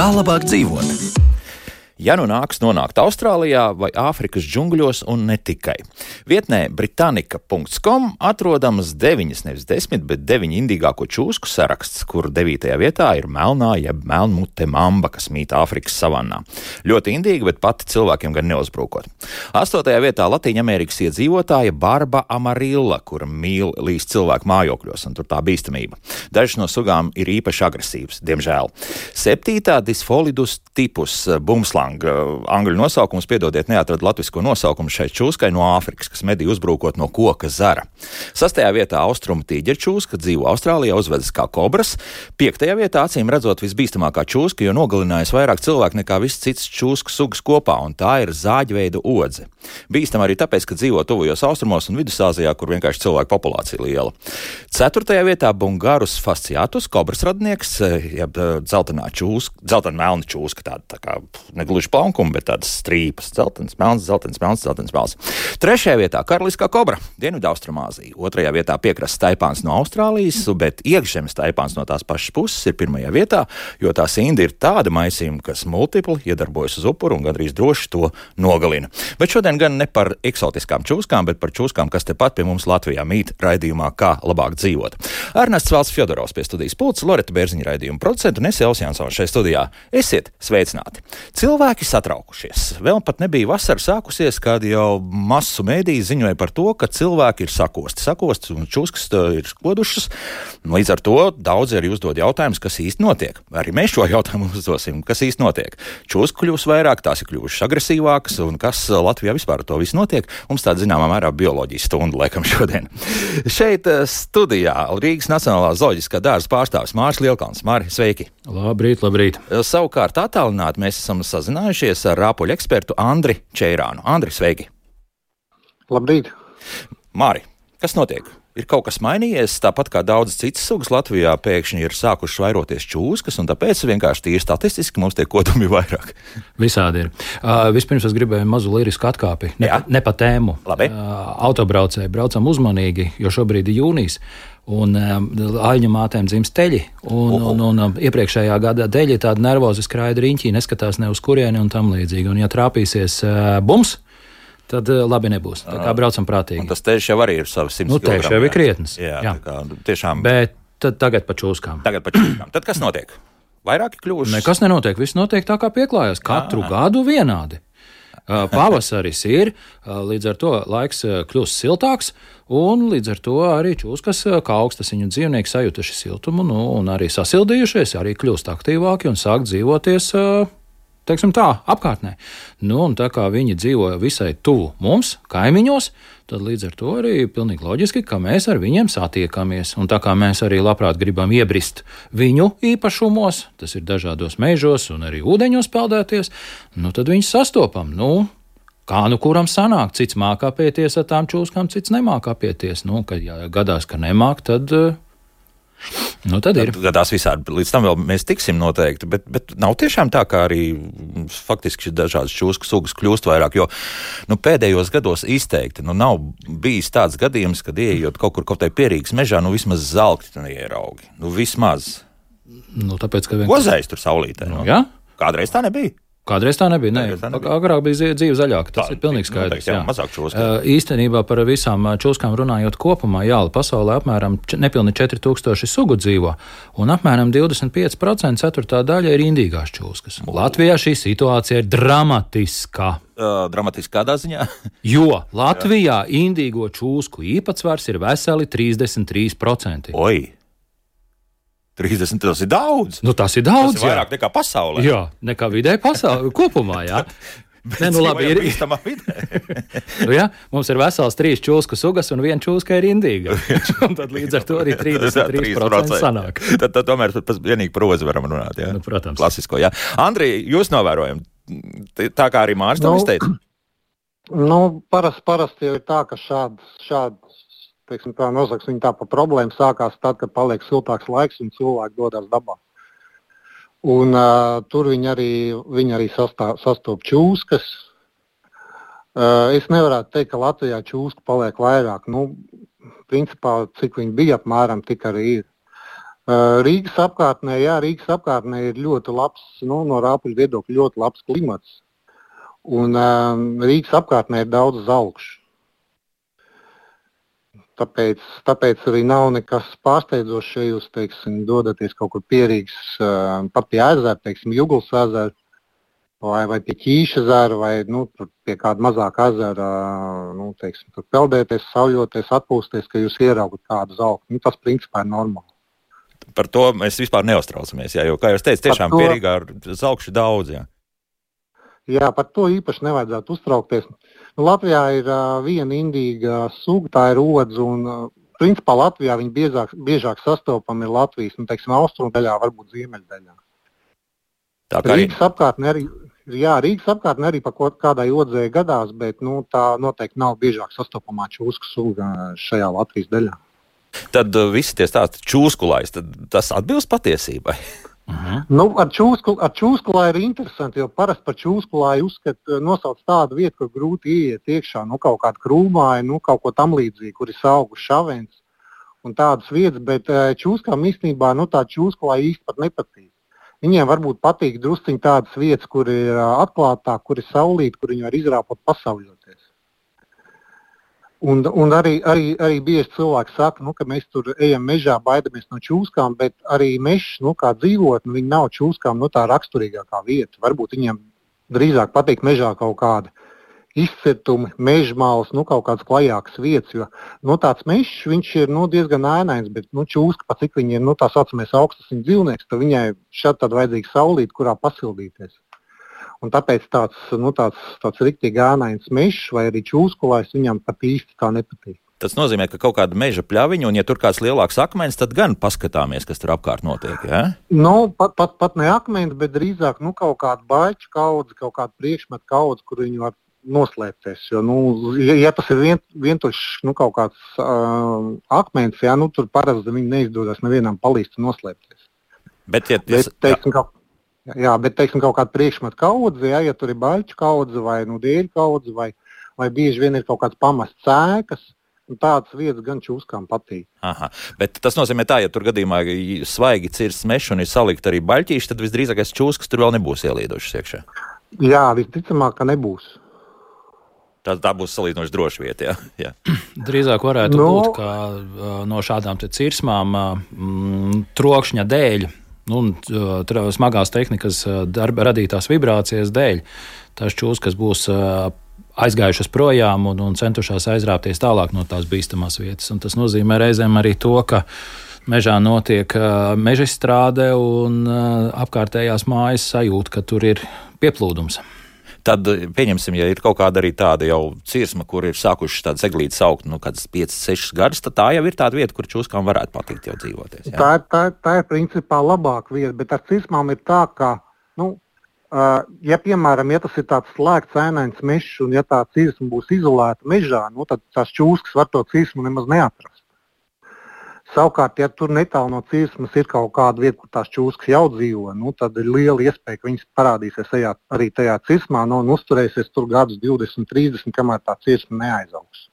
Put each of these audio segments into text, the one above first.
Kā labāk dzīvot? Ja nu nāks nonākt Austrālijā vai Āfrikas džungļos un ne tikai. Vietnē Britannica.com atrodamas 9, nevis 10, bet 9 indīgāko čūsku saraksts, kur 9. vietā ir melnā jeb melnmute mamba, kas mīt Āfrikas savannā. Ļoti indīga, bet pati cilvēkiem gan neuzbrūkot. 8. vietā Latīņamerikas iedzīvotāja Barba amarilla, kura mīl līst cilvēku mājokļos, un tur tā bīstamība. Dažas no sugām ir īpaši agresīvas, diemžēl. 7. Disfolidus tipus bumslang. Angļu nosaukums, piedodiet, neatrada latvisko nosaukumu šai čūskai no Āfrikas, kas medī uzbrūkot no koka zara. 6. vietā austrumu tīģerčūska, dzīvo Austrālijā, uzvedas kā kobras. 5. vietā acīm redzot visbīstamākā čūska, jo nogalinājas vairāk cilvēku nekā viss cits čūsku sugas kopā, un tā ir zāģveida odze. Bīstam arī tāpēc, ka dzīvo tuvajos austrumos un Vidusāzijā, kur vienkārši cilvēku populācija liela. 4. vietā Bungarus fasciatus, kobras radnieks, jeb dzeltenā melna čūska, tā kā negluži plankuma, bet tādas strīpas, dzeltens, melns, dzeltens, melns, dzeltens, melns. 3. vietā karaliskā kobra, Dienvidaustrumāzija. 2. vietā piekrasts taipāns no Austrālijas, bet iekšzemes taipāns no tās pašas puses ir 1. vietā, jo tās indi ir tāda maisījuma, kas multipli iedarbojas uz upuru un gandrīz droši to nogalina. Bet šodien gan ne par eksotiskām čūskām, bet par čūskām, kas tepat pie mums Latvijā mīt raidījumā Kā labāk dzīvot. Ernests Valds Fjodorovs pie studijas pults, Loreta Bērziņa raidījuma producenta un es Elvis Jansons šeit studijā. Esiet sveicināti! Cilvēki satraukušies. Vēl pat nebija vasara sākusies, kad jau masu mēdīji ziņoja par to, ka cilvēki ir sakosti un čūskas ir kodušas. Līdz ar to daudzi arī uzdod jautājumus, kas īsti notiek. Arī mēs šo jautājumu uzdosim, kas īsti notiek. Čūsku kļūs vairāk, tās ir kļuvušas agresīvākas, un kas Latvijā vispār to visu notiek. Mums tāda zināmā mērā bioloģijas stunda laikam šodien. Šeit studijā Rīgas Nacionālā zooloģiskā dārza pārstāvis Māris Lielkalns. Māri, sveiki! Labrīt, labrīt! Savukārt attālināti mēs esam sazinājušies ar rāpuļu ekspertu Andri Čeirānu. Andri, sveiki! Labrīt! Māri, kas notiek? Ir kaut kas mainījies, tāpat kā daudzas citas sugas Latvijā pēkšņi ir sākušas vairoties čūskas, un tāpēc vienkārši tīri statistiski mums tie kodumi vairāk. Visādi ir. Vispirms es gribēju mazu lirisku atkāpi, ne pa tēmu. Labi. Autobraucēji, braucam uzmanīgi, jo šobrīd ir jūnijas. Un aļņu mātēm dzimst teļi, un iepriekšējā gada teļi tādi nervozi skraida riņķī, neskatās ne uz kurieni un tam līdzīgi. Un ja trāpīsies bums, tad labi nebūs. Tā kā braucam prātīgi. Un tas teļš jau arī ir savs 100 kg. Teļš jau ir krietnes. Jā. Tā kā tiešām. Bet tagad pa čūskām. Tad kas notiek? Vairāki kļūst? Nekas nenotiek, viss notiek tā kā pieklājās. Katru gadu vienādi. Pavasaris ir, līdz ar to laiks kļūst siltāks, un līdz ar to arī čūskas, kā augstasiņu dzīvnieki sajutuši siltumu, un arī sasildījušies, arī kļūst aktīvāki un sāk dzīvoties, teiksim tā, apkārtnē. Un tā kā viņi dzīvo visai tuvu mums, kaimiņos, tad līdz ar to arī pilnīgi loģiski, ka mēs ar viņiem satiekamies. Un tā kā mēs arī labprāt gribam iebrist viņu īpašumos, tas ir dažādos mežos un arī ūdeņos peldēties, tad viņus sastopam. Kā kuram sanāk, cits māk apieties ar tām čūskām, cits nemāk apieties. Kad gadās, ka nemāk, tad ir. Gadās visādi. Līdz tam vēl mēs tiksim noteikti, bet nav tiešām tā, kā arī faktiski dažādas čūsku sugas kļūst vairāk, jo pēdējos gados izteikti nav bijis tāds gadījums, kad ieejot kaut kur pierīgas mežā, vismaz zelkti neieraugi. Vismaz. Tāpēc, ka Gozējs tur saulītē. Jā? Kādreiz tā nebija? Kādreiz tā nebija. Agrāk bija dzīve zaļāka. Tas ir pilnīgi skaidrs. Mazāk čūsku. Īstenībā par visām čūskām runājot kopumā, pasaulē apmēram nepilni 4000 sugu dzīvo, un apmēram 25% ceturtā daļa ir indīgās čūskas. Latvijā šī situācija ir dramatiska. Dramatiski kādā ziņā? Jo Latvijā indīgo čūsku īpatsvars ir veseli 33%. Oi! 30, tas ir daudz. Tas ir daudz, tas ir vairāk nekā pasaulē. Jā, nekā vidē pasaulē, kopumā, jā. Labi, ir bīstamā vidē. Mums ir vesels 3 čūsku sugas un 1 čūska ir indīga. Un tad līdz ar to arī 33% sanāk. Tad tomēr vienīgi par ozi varam runāt, jā? Protams. Klasisko, jā. Andri, jūs novērojam, tā kā arī Māris tam izteica? Parasti jau ir tā, ka šāds teiksim, tā nosaks viņa tā pa problēmu sākās tad, kad paliek siltāks laiks un cilvēki dodas dabā. Un tur viņi arī sastop čūskas. Es nevarētu teikt, ka Latvijā čūsku paliek vairāk. Principā, cik viņi bija apmēram, tik arī ir. Rīgas apkārtnē ir ļoti labs, no rāpuļu viedokļa ļoti labs klimats. Un Rīgas apkārtnē ir daudz zalkšu. Tāpēc arī nav nekas pārsteidzošs, ja jūs, dodaties kaut kur pie Rīgas, pat pie ezera, Juglas ezera, vai pie Ķīša ezera, vai pie kāda mazāka ezera, tur peldēties, sauļoties, atpūsties, ka jūs ieraugat kādu zalku. Tas principā ir normāli. Par to mēs vispār neuztraucamies, jo, kā jūs teicat, tiešām pie Rīgā ir zalkši daudz, jā. Jā, par to īpaši nevajadzētu uztraukties. Latvijā ir viena indīga suga, tā ir odze, un principā Latvijā viņa biežāk sastopama ir Latvijas, austrumu daļā, varbūt ziemeļdaļā. Rīgas apkārtnē arī pa kādai odzei gadās, bet tā noteikti nav biežāk sastopamā čūsku suga šajā Latvijas daļā. Tad visi tie stāsti čūskulājs, tad tas atbilst patiesībai? Ar čūskulāju ir interesanti, jo parasti par čūskulāju nosauc tādu vietu, kur grūti ieiet iekšā, kaut kādu krūmāju, kaut ko tam līdzīgi, kur ir augu šavens un tādas vietas, bet čūskām īstenībā tā čūskulāja īsti pat nepatīk. Viņiem varbūt patīk drusciņi tādas vietas, kur ir atklātāk, kur ir saulīte, kur viņi var izrāpot pasauļoties. Un arī bieži cilvēki saka, ka mēs tur ejam mežā, baidamies no čūskām, bet arī mežs, kā dzīvotne, viņi nav čūskām tā raksturīgākā vieta. Varbūt viņiem drīzāk patīk mežā kaut kāda izcirtumi, mežmāls, kaut kādas klajākas vietas, jo tāds mežs, viņš ir diezgan ēnains, bet čūska, pat cik viņi ir tā saucamies augstasiņu dzīvnieks, tad viņai šad tad vajadzīga saulīte, kurā pasildīties. Un tāpēc tāds riktīgi ēnains mežs vai arī čūskulājs viņam pat īsti tā nepatīk. Tas nozīmē, ka kaut kāda meža pļaviņa, un ja tur kāds lielāks akmens, tad gan paskatāmies, kas tur apkārt notiek, jā? Pat ne akmens, bet drīzāk kaut kāda baļķu kaudze, kaut kāda priekšmeta kaudze, kur viņi var noslēpties. Jo, ja tas ir vientušs kaut kāds akmens, tur parasti viņi neizdodas nevienam palīdz noslēpties. Bet kaut kāda priekšmeta kaudze, ja tur ir baļķu kaudze vai dēļu kaudze, vai bieži vien ir kaut kāds pamests cēkas, un tādas vietas gan čūskām patīk. Aha, bet tas nozīmē tā, ja tur gadījumā svaigi cirsts mežs un ir salikt arī baļķīši, tad visdrīzākais čūskas tur vēl nebūs ielīdošas iekšā. Jā, visticamāk, ka nebūs. Tā būs salīdzinoši droša vieta, jā. Drīzāk varētu būt, ka no šādām cirsmām trokšņa dēļ, smagās tehnikas radītās vibrācijas dēļ, tās čūskas būs aizgājušas projām un centušās aizrāpties tālāk no tās bīstamās vietas. Un tas nozīmē reizēm arī to, ka mežā notiek mežastrāde un apkārtējās mājas sajūta, ka tur ir pieplūdums. Tad, pieņemsim, ja ir kaut kāda arī tāda jau cirsma, kur ir sākušas tādas eglītes augt, kādas 5-6 gadus, tad tā jau ir tāda vieta, kur čūskām varētu patikt jau dzīvoties. Jā? Tā ir principā labāka vieta, bet ar cirsmām ir tā, ka, ja piemēram, ja tas ir tāds slēgts ēnains mežs un ja tā cirsma būs izolēta mežā, tad tās čūskas var to cirsmu nemaz neatrast. Savukārt, ja tur netālu no cirsmas ir kaut kāda vieta, kur tās čūskas jau dzīvo, tad ir liela iespēja, ka viņas parādīsies arī tajā cirsmā un uzturēsies tur gadus 20, 30, kamēr tā cirsma neaizaugs.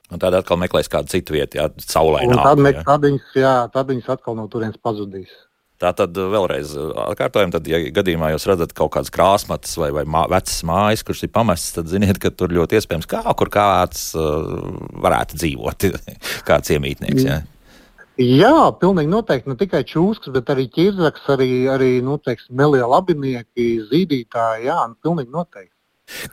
Un tad atkal meklēs kādu citu vietu, saulē nāk. Tad viņas atkal no turienes pazudīs. Tā tad vēlreiz atkārtojam, tad, ja gadījumā jūs redzat kaut kādas krāsmatas vai vecas mājas, kuras ir pamestas, tad ziniet, ka tur ļoti iespējams kur kāds varētu dzīvot, kāds iemītnieks, jā. Jā, pilnīgi noteikti. Ne tikai čūskas, bet arī ķirzaks, arī melie labinieki, zīdītāji, jā, pilnīgi noteikti.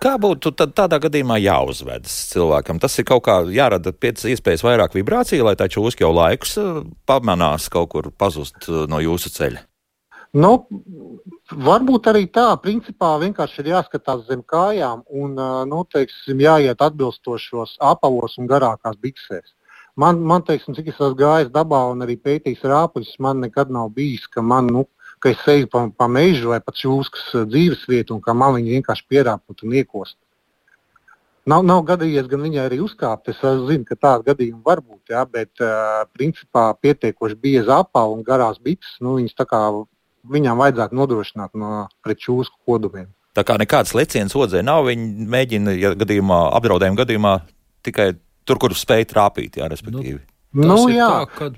Kā būtu tādā gadījumā jāuzvedas cilvēkam? Tas ir kaut kā jārada pēc iespējas vairāk vibrāciju, lai tā čūska jau laikus pamanās kaut kur pazust no jūsu ceļa? Varbūt arī tā. Principā vienkārši ir jāskatās zem kājām un, jāiet atbilstošos apalos un garākās biksēs. Man cik es esmu gājis dabā un arī pētījis rāpuļus, man nekad nav bijis, ka es eju pa mežu vai pa čūskas dzīvesvietu un ka man viņi vienkārši pierāpot un iekost. Nav gadījies gan viņai arī uzkāpt. Es zinu, ka tāda gadījuma var būt, jā, bet principā pietiekoši bieza apava un garās bikses, viņas tā kā viņām vajadzētu nodrošināt pret čūsku kodumiem. Tā kā nekāds leciens odzē nav, viņi mēģina, ja apdraudējuma gadījumā tikai tur, kur spēj trāpīt, jā, respektīvi. Tas ir tā, kad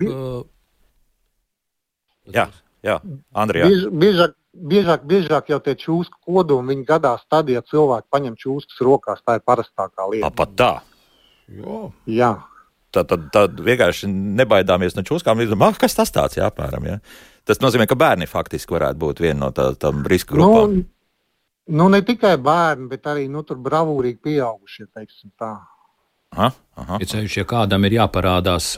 Jā, Andri, jā. Biežāk jau tie čūsku kodumi, viņi gadās tad, ja cilvēki paņem čūskas rokās, tā ir parastākā lieta. Pat tā? Jā. Tad vienkārši nebaidāmies no čūskām, kas tas tāds, jā, apmēram, jā. Tas nozīmē, ka bērni faktiski varētu būt viena no tām risku grupām. Nu, ne tikai bērni, bet arī, tur bravūrīgi pieaugušie, teiksim tā. Ir ceļš, ja kādam ir jāparādās,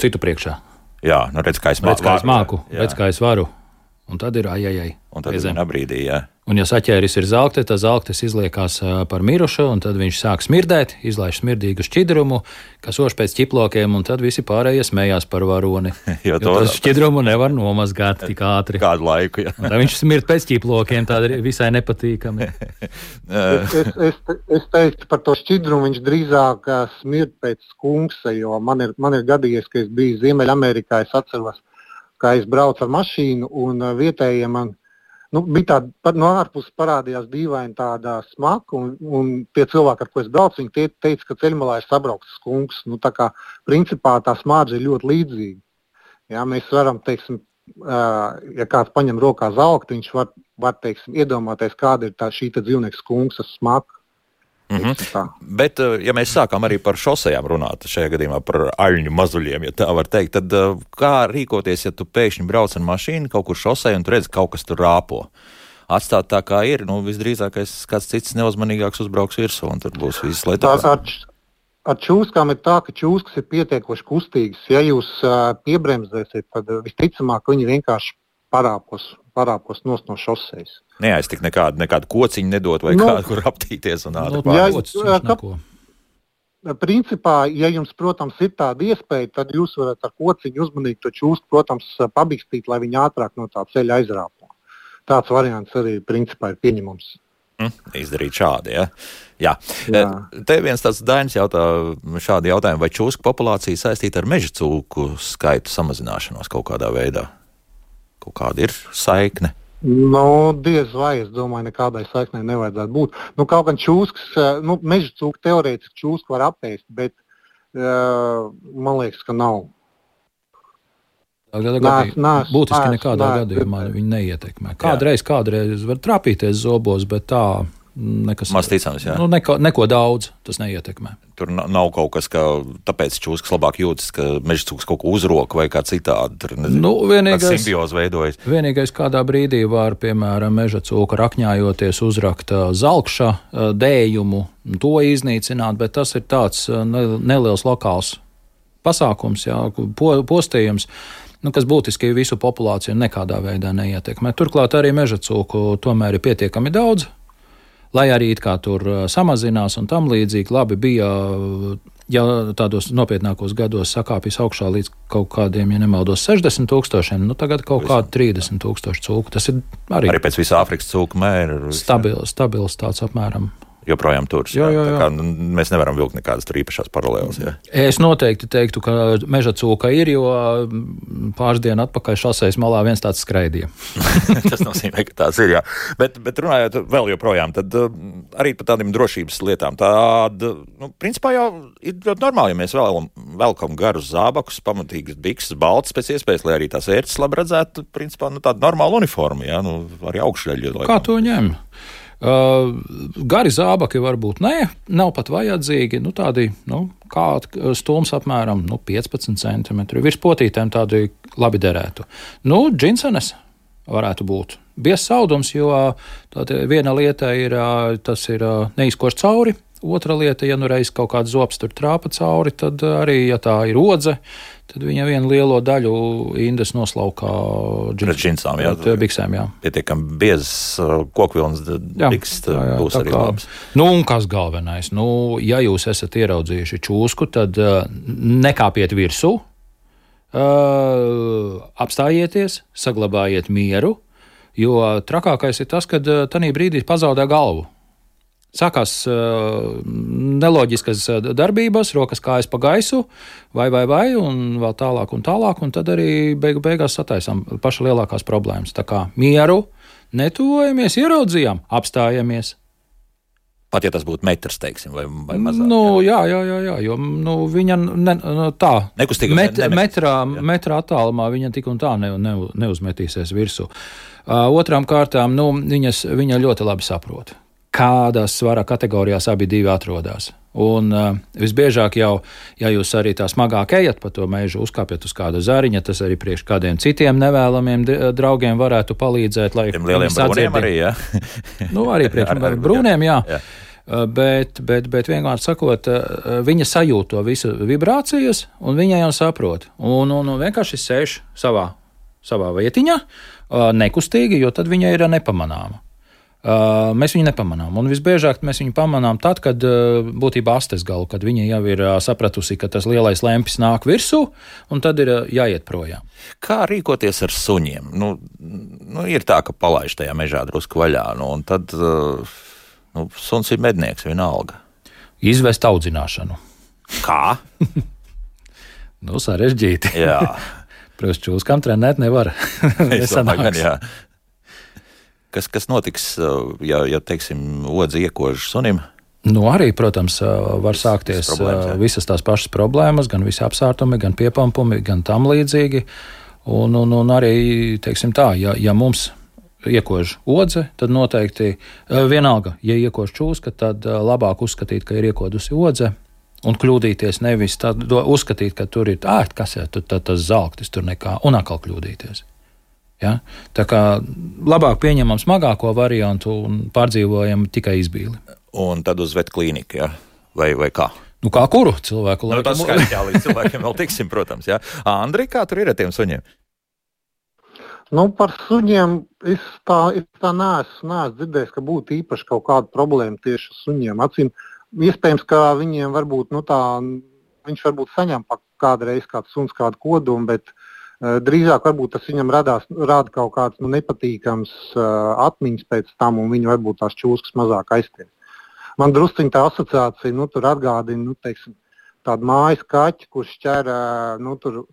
citu priekšā. Jā, redz, kā es māku, redz, kā es varu. Un tad ir ajajai. Un tad vienā brīdī, jā. Un, ja saķēris ir zelkte, tad zelktes izliekās par mirušu, un tad viņš sāk smirdēt, izlaiž smirdīgu šķidrumu, kas ož pēc ķiplokiem, un tad visi pārējie smējās par varoni. jo tas šķidrumu nevar nomazgāt tik ātri. Kādu laiku, jā. Un tad viņš smird pēc ķiplokiem, tādi visai nepatīkami. es teiktu par to šķidrumu, viņš drīzāk smird pēc skunksa, jo man ir gadījies, ka es biju Ziemeļamerikā, es atceros, kā es braucu ar mašīnu, un vietējiem man bija tāda, no ārpuses parādījās dīvaini tāda smaka, un tie cilvēki, ar ko es braucu, viņi teica, ka ceļmalā ir sabraukts skunks. Tā kā principā tā smārdze ir ļoti līdzīga. Jā, mēs varam, teiksim, ja kāds paņem rokā zelkti, viņš var teiksim, iedomāties, kāda ir šī dzīvnieka skunks smaka. Bet, ja mēs sākām arī par šosejām runāt, šajā gadījumā par aļņu mazuļiem, ja tā var teikt, tad kā rīkoties, ja tu pēkšņi brauc ar mašīnu kaut kur šosei un tu redzi, kaut kas tur rāpo? Atstāt tā, kā ir, visdrīzākais kāds cits neuzmanīgāks uzbrauks virsū, un tur būs viss lietas. Ar čūskām ir tā, ka čūskas ir pietiekoši kustīgas. Ja jūs piebremzēsiet, tad visticamāk viņi vienkārši parāpos nost no šosejas. Neaiztikt nekādu kociņu nedot vai kādu, kur aptīties un ātri Principā, ja jums, protams, ir tāda iespēja, tad jūs varat ar kociņu uzmanīgi to čūsku, protams, pabikstīt, lai viņi ātrāk no tā ceļa aizrāpo. Tāds variants arī principā ir pieņemams. Izdarīt šādi, ja? Jā. Te viens tāds Dainis jautā šādi jautājumu, vai čūsku populācija saistīta ar meža cūku skaitu samazināšanos kaut kādā veidā? Kaut kāda ir saikne? Diez vai, es domāju, nekādai saiknei nevajadzētu būt. Kaut gan čūskas, meža cūku teorētiski čūsku var apēst, bet man liekas, ka nav. Būtiski nekādā gadījumā viņi neietekmē. Kādreiz var trāpīties zobos, bet tā nekas. Maz ticams, jā. Neko daudz tas neietekmē. Tur nav kaut kas, ka tāpēc čūskas labāk jūtas, ka meža cūks kaut ko uzroka vai kā citādi. Tur simbioze veidojas. Vienīgais kādā brīdī var, piemēram, meža cūka rakņājoties uzrakt zelkša dējumu, to iznīcināt, bet tas ir tāds neliels lokāls pasākums, jā, postījums, kas būtiski visu populāciju nekādā veidā neietekmē. Turklāt arī meža cūku tomēr ir pietiekami daudz, lai arī it kā tur samazinās un tam līdzīgi. Labi bija, ja tādos nopietnākos gados sakāpjas augšā līdz kaut kādiem, ja nemaldos, 60,000, tagad kaut kādi 30,000 cūku. Tas ir arī pēc visa Āfrikas cūku mēra. Stabils tāds apmēram. Joprojām turas. Jā. Kā, mēs nevaram vilkt nekādas tur īpašās paralēlas. Jā. Es noteikti teiktu, ka meža cūka ir, jo pāris dienu atpakaļ šosejas malā viens tāds skraidīja. Tas nozīmē, ka tāds ir, jā. Bet runājot vēl joprojām, tad arī par tādiem drošības lietām. Principā jau ir ļoti normāli, ja mēs velkam garus zābakus, pamatīgas bikses, baltas pēc iespējas, lai arī tās ērces labi redzētu, principā tāda normāla uniforma, jā, arī augšļaļi. Kā to ņem? Gari zābaki varbūt nav pat vajadzīgi, tādi, kā stūms apmēram 15 centimetri. Virs potītēm tādi labi derētu. Džinsenes varētu būt. Biezs audums, jo viena lieta ir, tas ir neizkoš cauri. Otra lieta, ja reiz kaut kāds zobs tur trāpa cauri, tad arī, ja tā ir odze, tad viņa vienu lielo daļu indes noslaukā džinsām, jā. Biksēm, jā. Pietiekami biezs kokvilnas bikses būs arī labs. Un kas galvenais? Ja jūs esat ieraudzījuši čūsku, tad nekāpiet virsū, apstājieties, saglabājiet mieru, jo trakākais ir tas, kad tanī brīdī pazaudē galvu. Sākās neloģiskas darbības, rokas kājas pa gaisu, vai, un vēl tālāk, un tad arī beigās sataisām paša lielākās problēmas. Tā kā mieru, netuvojamies, ieraudzījām, apstājamies. Pat ja tas būtu metrs, teiksim, vai mazāk. Jā, jo viņa tā metrā attālumā viņa tik un tā neuzmetīsies virsū. Otrām kārtām, viņa ļoti labi saprot, kādās svara kategorijās abi divi atrodas. Un visbiežāk jau, ja jūs arī tā smagāk ejat pa to mežu, uzkāpjat uz kāda zariņa, tas arī priekš kādiem citiem nevēlamiem draugiem varētu palīdzēt, lai tiem lieliem brūniem arī, jā? Arī priekš brūniem, jā. Bet vienkārši sakot, viņa sajūt to visu vibrācijas, un viņa jau saprot. Un vienkārši sēž savā vietiņā, nekustīgi, jo tad viņa ir nepamanāma. Mēs viņu nepamanām, un visbiežāk mēs viņu pamanām tad, kad būtībā astes galu, kad viņa jau ir sapratusi, ka tas lielais lempis nāk virsū, un tad ir jāiet projām. Kā rīkoties ar suņiem? Ir tā, ka palaiž tajā mežā drusku vaļā, un tad suns ir mednieks vienalga. Izvest audzināšanu. Kā? Sarežģīti. Jā. Protams, čūskām trenēt nevar. Nesanāks. Jā. Kas notiks, ja teiksim, odzi iekož sunim? Arī, protams, var sākties visas tās pašas problēmas, gan visi apsārtumi, gan piepampumi, gan tam līdzīgi. Un arī, teiksim tā, ja mums iekož odze, tad noteikti vienalga, ja iekož čūska, tad labāk uzskatīt, ka ir iekodusi odze, un kļūdīties nevis uzskatīt, ka tur ir kas ir tas zelktis, tur nekā, un atkal kļūdīties. Ja? Tā kā labāk pieņemam smagāko variantu un pārdzīvojam tikai izbīli. Un tad uz vetklīniku, ja? Vai kā? Kā kuru cilvēku? Tas skaidrs, jā, līdz cilvēkiem vēl tiksim, protams. Ja? Andri, kā tur ir ar tiem suņiem? Par suņiem es tā neesmu dzirdējis, ka būtu īpaši kaut kāda problēma tieši ar suņiem. Iespējams, ka viņiem varbūt, viņš varbūt saņem kādreiz kāds suns kādu kodumu, bet drīzāk varbūt tas viņam rāda kaut kāds nepatīkams atmiņas pēc tam, un viņi varbūt tās čūskas mazāk aizties. Man drusciņ tā asociācija, tur atgādina, teiksim, tādu mājas kaķi, kurš ķer, tur,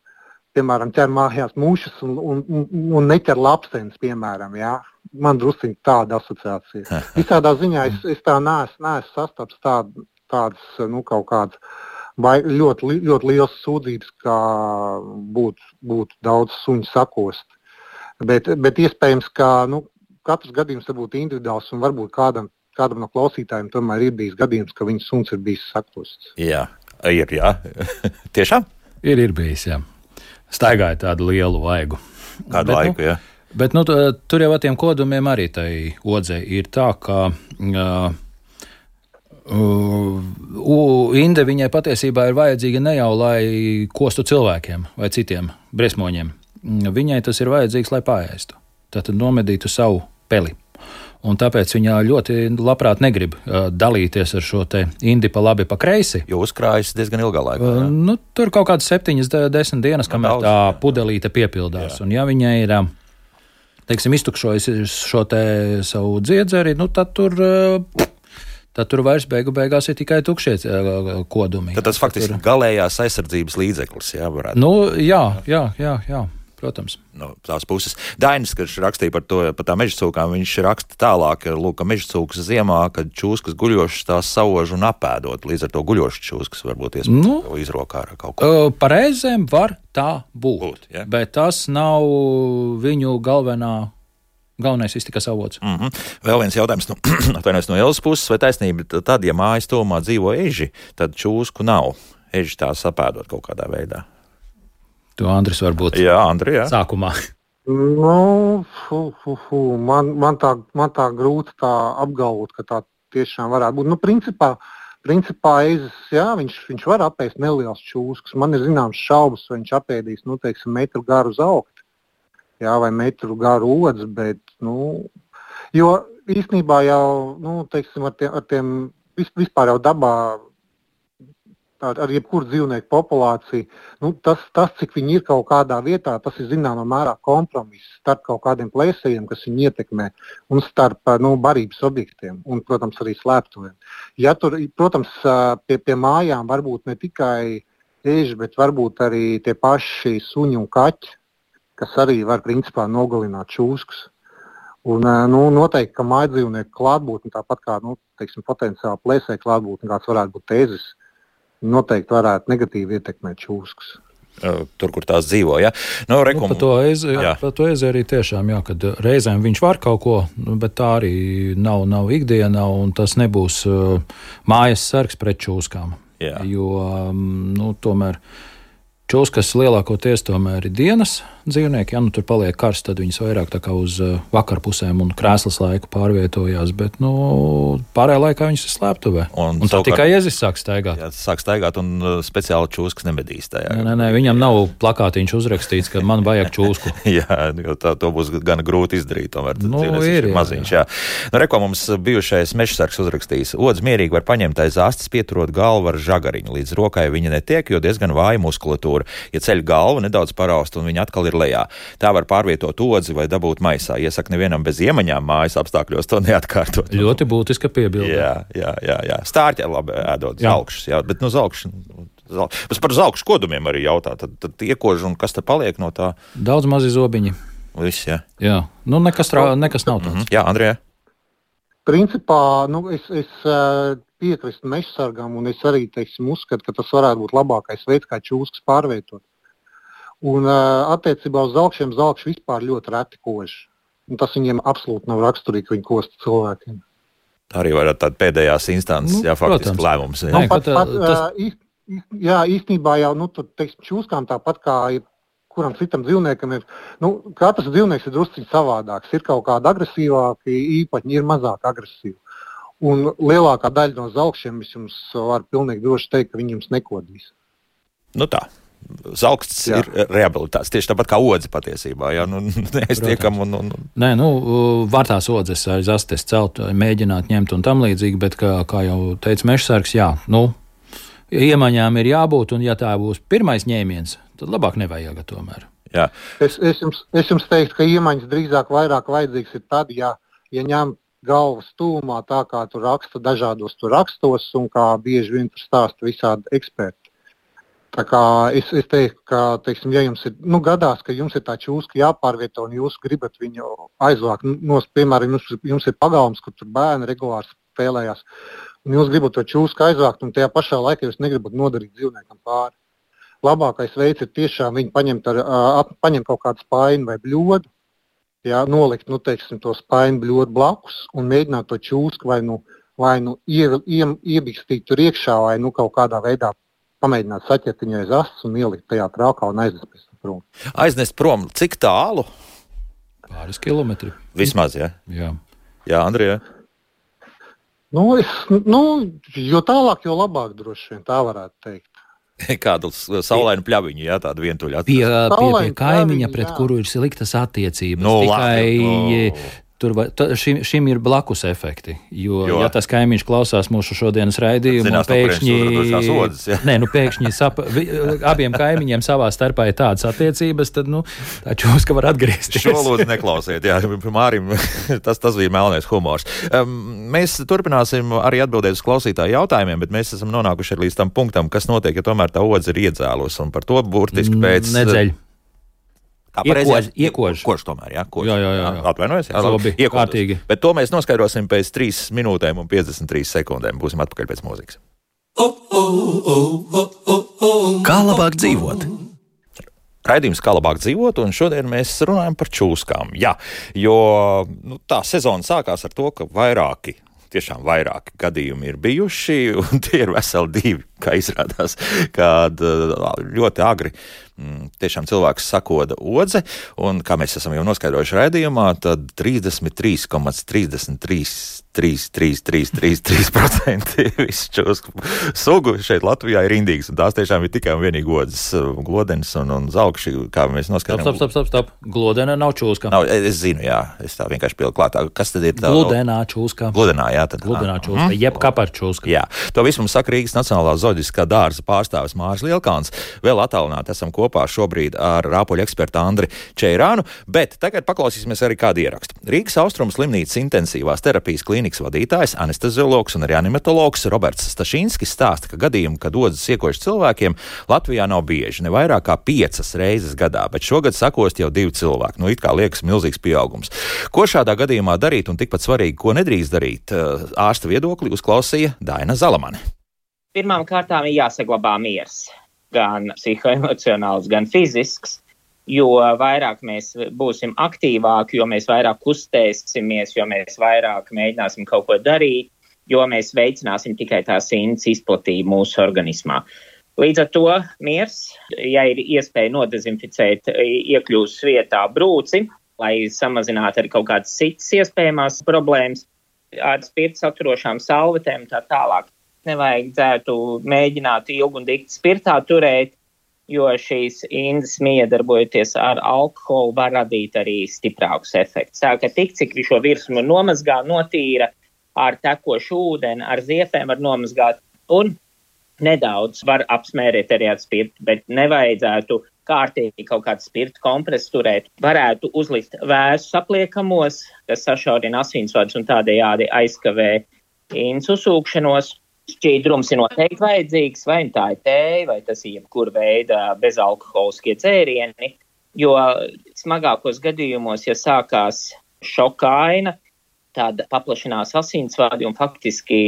piemēram, ķer mājās mušas un neķer lapsenes, piemēram, jā. Man drusciņ tāda asociācija. Visādā ziņā es tā neesmu sastaps tādas, kaut kādas vai ļoti liels sūdzības, kā būtu daudz suņu sakost. Bet iespējams, ka katrs gadījums var būt individuāls, un varbūt kādam no klausītājiem tomēr ir bijis gadījums, ka viņa suns ir bijis sakosts. Jā, ir, jā. Tiešām? Ir bijis, jā. Staigāja tādu lielu vaigu. Kādu laiku, jā. Bet tur jau ar tiem kodumiem arī tai odzei ir tā, ka inde viņai patiesībā ir vajadzīga ne jau, lai kostu cilvēkiem vai citiem briesmoņiem. Viņai tas ir vajadzīgs, lai paēstu. Tātad nomedītu savu peli. Un tāpēc viņa ļoti labprāt negrib dalīties ar šo te indi pa labi pa kreisi. Jo uzkrājas diezgan ilgā laikā. Tur kaut kādas 7-10 dienas, kamēr tā pudelīte piepildās. Jā. Un ja viņai ir, teiksim, iztukšojas šo te savu dziedzeri, tad tur vairs beigās ir tikai tukšie kodumi. Tad tas faktiski galējās aizsardzības līdzeklis, jā, varētu. Jā, protams. No tās puses. Dainis, kad rakstīja par tām mežacūkām, viņš raksta tālāk, ka mežacūkas ziemā, kad čūskas guļošas tās sauž un apēdot, līdz ar to guļošas čūskas varbūt iespējams izrokā ar kaut ko. Pareizēm var tā būt, ja? Bet tas nav viņu galvenais iztikas avots. Vēl viens jautājums no Elas puses, vai taisnība tad, ja mājas tuvumā dzīvo eži, tad čūsku nav. Eži tās apēdot kaut kādā veidā. To Andris varbūt sākumā. Man tā grūti tā apgalvot, ka tā tiešām varētu būt. Principā ezis, jā, viņš var apēst nelielas čūskas. Man ir zināms šaubas, vai viņš apēdīs, teiksim, metru garu zaukti, jā, vai metru garu odzi, bet, jo īstenībā jau, teiksim, ar tiem vispār jau dabā, ar jebkuru dzīvnieku populāciju, tas, cik viņi ir kaut kādā vietā, tas ir zināmā mērā kompromiss starp kaut kādiem plēsējiem, kas viņu ietekmē, un starp barības objektiem, un, protams, arī slēptuviem. Ja tur, protams, pie mājām varbūt ne tikai eži, bet varbūt arī tie paši suņi un kaķi, kas arī var, principā, nogalināt čūskas. Un, noteikti, ka mājdzīvnieku klātbūtne, tāpat kā potenciāli plēsēju klātbūtne, kāds varētu būt tēzis, noteikti varētu negatīvi ietekmēt čūskas. Tur, kur tās dzīvo. Ja? Par to ezi arī tiešām, jā, kad reizēm viņš var kaut ko, bet tā arī nav ikdiena, un tas nebūs mājas sargs pret čūskām. Jā. Jo tomēr čūskas lielākoties tomēr ir dienas dzīvnieki. Ja tur paliek karsts, tad viņas vairāk tā kā uz vakarpusēm un krēslas laiku pārvietojās, bet pārējā laikā viņas ir slēptuvē. Un tā tikai iezis sāk staigāt. Jā, sāk staigāt un speciāli čūskas nemedīs tajā. Nē, viņam nav plakātiņš uzrakstīts, ka man vajag čūsku. Jā, jo to būs gan grūti izdarīt. Tomēr, ir maziņš. Jā. Reko mums bijušais mežsargs uzrakstījis. Odz mierīgi var paņemt aiz astes, pieturot galvu ar žagariņu. Līdz rokai viņa netiek, jo diezgan vāja muskulatūra. Ja ceļ galvu, nedaudz paraust un viņa atkal ir lejā. Tā var pārvietot odzi vai dabūt maisā. Iesaka nevienam bez iemaņām mājas apstākļos to neatkārtot. Ļoti būtiska piebilde. Jā. Stārķi labi ēdot zelkšus, jā, bet par zelkšu kodumiem arī jautā. Tad iekož un kas te paliek no tā? Daudz mazi zobiņi. Viss, jā. Jā, nekas nav tāds. Jā, Andrija? Principā, es piekrist mežsargam, un es arī, uzskatu, ka tas varētu būt labākais veids, kā čūskas pārvietot. Un attiecībā uz zelkšiem zelkši vispār ļoti reti kož. Un tas viņiem absolūti nav raksturīgi, ka viņi kosta cilvēkiem. Tā arī varētu tāda pēdējās instances, faktiski lēmums. Īstenībā jau, čūskām tāpat kā kuram citam dzīvniekam ir, katrs dzīvnieks ir drusciņ savādāks. Ir kaut kāda agresīvāki īpaņi, ir mazāk agresīvi. Un lielākā daļa no zelkšiem es jums varu pilnīgi droši teikt, ka viņi jums nekodīs. Tā. Zelksts ir rehabilitāts, tieši tāpat kā odze patiesībā. Jā, neaiztiekam Nē, var tās odzes aiz astes celt, mēģināt ņemt un tam līdzīgi, bet, kā jau teica mežsargs, iemaņām ir jābūt, un ja tā būs pirmais ņēmiens, tad labāk nevajag tomēr. Jā. Es jums teiktu, ka iemaņas drīzāk vairāk vajadzīgs ir tad, ja ņem galvas tūmā, tā kā tu raksta dažādos tu rakstos, un kā bieži vien tur stāsta visādi eksperti. Tā kā es teiktu, ka, ja jums ir, gadās, ka jums ir tā čūska jāpārvieto un jūs gribat viņu aizvākt, piemēram, jums ir pagalms, kur tur bērni regulāri spēlējās, un jūs gribat to čūsku aizvākt, un tajā pašā laikā jūs negribat nodarīt dzīvniekam pāri. Labākais veids ir tiešām viņu paņemt kaut kādu spaini vai bļodu, nolikt, to spaini bļodu blakus un mēģināt to čūsku vai iebikstīt tur iekšā vai kaut kādā veidā pamēģināt saķert viņu aiz astes un ielikt tajā traukā un aiznest pēc prom. Aiznest prom, cik tālu? Pāris kilometri. Vismaz, jā? Jā. Jā, Andrija? Jo tālāk, jo labāk droši vien, tā varētu teikt. Kādu saulainu pļaviņu, tādu vientuļu atrast. Pie kaimiņa, pret kuru ir sliktas attiecības. Šim ir blakus efekti, jo ja tas kaimiņš klausās mūsu šodienas raidījumu, pēkšņi abiem kaimiņiem savā starpā ir tādas attiecības, tad tā čūska var atgriezties. Šo lūdzu neklausiet, Mārim, tas bija melnais humors. Mēs turpināsim arī atbildēt uz klausītāju jautājumiem, bet mēs esam nonākuši līdz tam punktam, kas notiek, ja tomēr tā odze ir iedzēlus, un par to burtiski pēc... Nedzeļ. Iekož tomēr, jā? Jā. Atvainojos, jā? Labi, kārtīgi. Bet to mēs noskaidrosim pēc 3 minūtēm un 53 sekundēm. Būsim atpakaļ pēc mūzikas. Kā labāk dzīvot? Raidījums Kā labāk dzīvot, un šodien mēs runājam par čūskām. Jā, jo tā sezona sākās ar to, ka tiešām vairāki gadījumi ir bijuši, un tie ir veseli 2, kā izrādās, kad ļoti agri tiešām cilvēks sakoda odze, un kā mēs esam jau noskaidrojuši raidījumā, tad 33,333333% visu čūsku sugu šeit Latvijā ir indīgas, un tās tiešām ir tikai un vienīgi odzes, glodenes un zelkši, kā mēs noskaidrojam. Stop. Glodena nav čūska. Nav, es zinu, jā, es tā vienkārši pieliku klātā. Kas tad ir tā? Glodenā čūska. Glodenā, jā. Glodenā čūska, jeb kapar čūska. Jā, to visu mums saka Rīgas Nacionālā zooloģiskā dārza pārstāvis Māris Lielkāns. Vēl attālināti esam kopā kopā šobrīd ar rāpoļu ekspertu Andri Čeirānu, bet tagad paklausīsimies arī kādu ierakstu. Rīgas Austrumu slimnīcas intensīvās terapijas klīnikas vadītājs, anesteziologs un reanimatologs Roberts Stašinskis stāsta, ka gadījumi, kad odzes iekož cilvēkiem, Latvijā nav bieži, ne vairāk kā 5 reizes gadā, bet šogad sakost jau 2 cilvēki. It kā liekas milzīgs pieaugums. Ko šādā gadījumā darīt un tikpat svarīgi, ko nedrīkst darīt, ārsta viedokli uzklausīja Daina Zalamane. Pirmām kārtām ir jāsaglabā miers, gan psihoemocionāls, gan fizisks, jo vairāk mēs būsim aktīvāki, jo mēs vairāk kustēsimies, jo mēs vairāk mēģināsim kaut ko darīt, jo mēs veicināsim tikai tās indes izplatību mūsu organismā. Līdz ar to miers, ja ir iespēja nodezinficēt iekļūst vietā brūci, lai samazinātu arī kaut kādas citas iespējamās problēmas, ar spirta saturošām salvetēm tā tālāk. Nevajadzētu mēģināt ilgi un dikti spirtā turēt, jo šīs indes miedarbojoties ar alkoholu var radīt arī stiprākus efektus. Tā ka tik, cik šo virsmu nomazgā, notīra ar tekošu ūdeni, ar ziepēm var nomazgāt un nedaudz var apsmērēt arī ar spirtu, bet nevajadzētu kārtīgi kaut kādu spirtu kompresu turēt. Varētu uzlikt vēsus apliekamos, kas sašaurina asinsvadus un tādējādi aizkavē indes uzsūkšanos. Šķīdrums ir noteikti vajadzīgs, vai tā ir tēja, vai tas ir jebkura veida bezalkoholiskie dzērieni, jo smagākos gadījumos, ja sākās šokaina, tad paplašinās asinsvadi un faktiski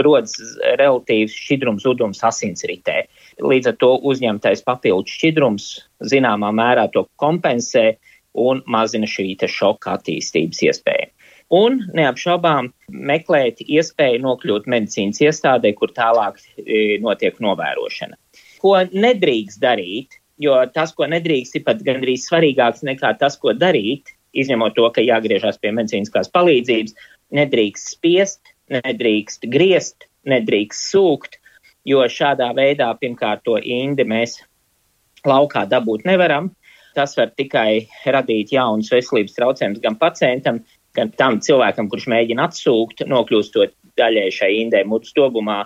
rodas relatīvs šķidrums zudums asinsritē. Līdz ar to uzņemtais papildu šķidrums zināmā mērā to kompensē un mazina šī šoka attīstības iespēju. Un neapšaubām meklēt iespēju nokļūt medicīnas iestādē, kur tālāk notiek novērošana. Ko nedrīkst darīt, jo tas, ko nedrīkst, ir pat gandrīz svarīgāks nekā tas, ko darīt, izņemot to, ka jāgriežās pie medicīniskās palīdzības, nedrīkst spiest, nedrīkst griezt, nedrīkst sūkt, jo šādā veidā pirmkārt to indi mēs laukā dabūt nevaram. Tas var tikai radīt jaunus veselības traucējumus gan pacientam, gan tam cilvēkam, kurš mēģina atsūkt, nokļūstot daļai šai indē mutes dobumā,